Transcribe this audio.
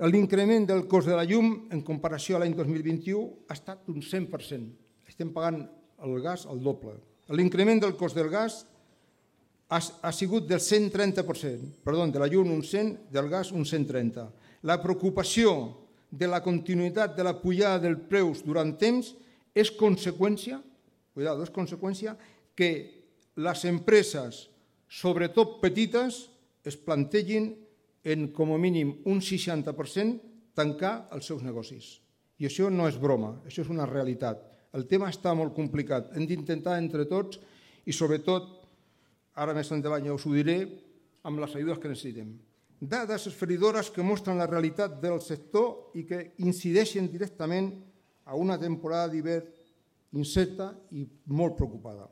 L'increment del cost de la llum en comparació a l'any 2021 ha estat d'un 100%. Estem pagant el gas el doble. L'increment del cost del gas ha sigut del 130%, perdó, de la llum un 100, del gas un 130. La preocupació de la continuïtat de la pujada dels preus durant temps és conseqüència, que les empreses, sobretot petites, es plantegin en com a mínim un 60% tancar els seus negocis. I això no és broma, això és una realitat. El tema està molt complicat. Hem d'intentar entre tots i sobretot, ara més endavant ja us ho diré, amb les ajudes que necessitem. Dades esfereïdores que mostren la realitat del sector i que incideixen directament a una temporada d'hivern incerta i molt preocupada.